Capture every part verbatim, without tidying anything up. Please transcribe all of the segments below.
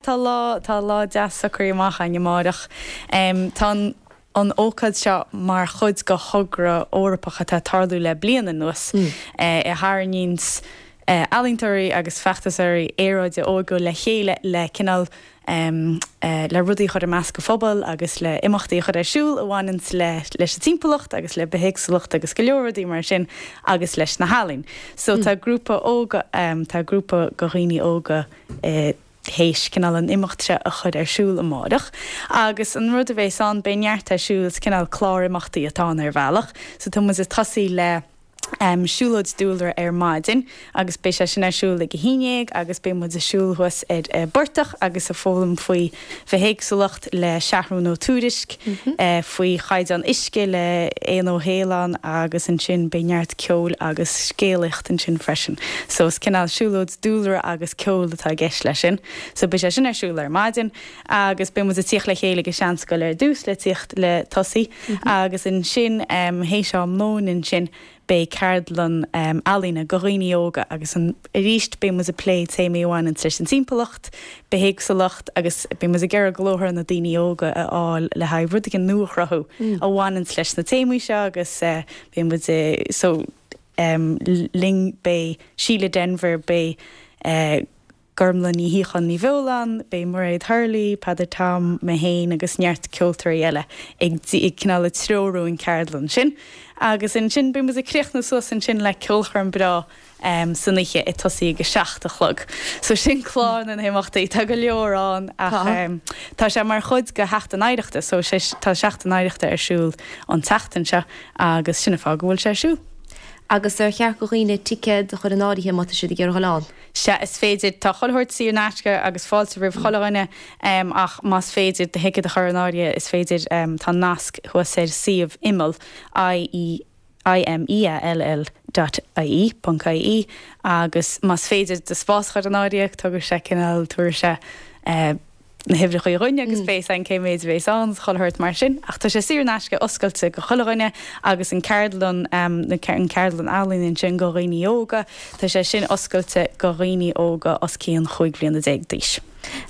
Tá lá tá lá deas socraithe amach againn amárach. Um, tá an an ócáid seo mar chuid de thogra Eorpach atá ag tarlú le bliain anuas mm. eh, a tharraingíonns eh, ealaíontóirí agus feachtasóirí aeráide óga le chéile le cineál um, uh, le rudaí a chur i measc an phobail agus le imeachtaí a chur ar siúl a bhaineann le leis an timpeallacht agus le bithéagsúlacht agus go leor rudaí mar sin agus leis na healaíona. So mm. tá grúpa óga um, tá grúpa de dhaoine óga uh, théis cineál an imeacht seo a chur ar siúl amárach. Agus an rud a bheas ann beidh neart ar siúl cineál clár imeachtaí atá ar bhealach, so tá muid ag tosaí le um, siúlóid dúlra ar maidin agus beidh sé sin ar siúl ag a haon déag agus beidh muid ag siúl thuas ar uh, portach agus ag foghlaim faoi bhithéagsúlacht le Seathrún Ó Tuairisg mm -hmm. uh, faoi chaighdeán uisce le Éanna Ó hAoláin agus ansin beidh neart ceol agus scéalaíocht ansin freisin. So is cineál siúlóid dúlra agus ceol atá i gceist leis sin. So beidh sé sin ar siúl ar maidin agus beidh muid ag tíocht le chéile ag an seanscoil ar dtús le tíocht le tosaí mm -hmm. agus ansin um, théis am lóin ansin beidh ceardlann um, ealaíne do dhaoine óga agus an arís beidh muid ag plé téamaí a bhaineann leis an timpeallacht, bithéagsúlacht agus beidh muid ag iarraidh glór na daoine óga a fháil le haghaidh rudaí nua a chruthú mm. a bhaineann leis na téamaí seo agus uh, beidh muid so um, linn beidh Síle Denvir beidh uh, Gormlaith Ní Shíocháin Ní Bheoláin, beidh Mairéad Hurley, Peadar Tom mé féin agus neart ceoltóirí eile ag ag cineál ag treorú an ceardlann sin. Agus ansin beidh muid ag críochnú suas ansin le ceolchoirm breá um, san oíche ag tosaí ag a seacht a chlog. So sin clár na n-imeachtaí tá go leor ann ach um, tá sé mar chuid de Sheachtain Oidhreachta, so sé, tá Seachtain Oidhreachta ar siúl an tseachtain seo agus sin an fáth go bhfuil sé ar siúl. Agus ar cheart do dhaoine ticéad a chur in áirithe má tá siad ag iarraidh a dhul ann. Sea is féidir tá chuile shórt saor in aisce agus fáilte roimh chuile dhuine um, ach más féidir do thicéad a chur in áirithe is féidir um, tá nasc thuas ar suíomh Imeall I I-M-E-A-L-L dot I-E ponc I-E agus más féidir do spás a chur in áirithe tugann sé cineál tabharfaidh sé uh, na huimhreacha dhúinn agus beidh an cé mhéad a bheas ann chuile shórt mar sin, ach tá sé saor in aisce oscailte do chuile dhuine agus an ceardlann um, an ceardlann ealaíon sin do dhaoine óga, tá sé sin oscailte do dhaoine óga os cionn chúig bliana déag d'aois.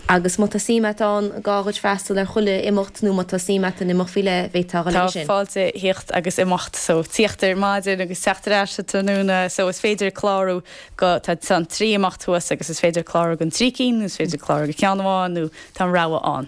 Agus má tá suim agat an gá duit freastal ar chuile imeacht nó má tá suim agat in imeacht faoi leith bheadh Tá sin. fáilte theacht agus imeacht so tíocht ar maidin agus teacht ar ais tráthnóna so is féidir clárú go tá an trí imeacht thuas agus is féidir clárú don trí cinn, is féidir clárú go ceann amháin nó tá an rogha ann.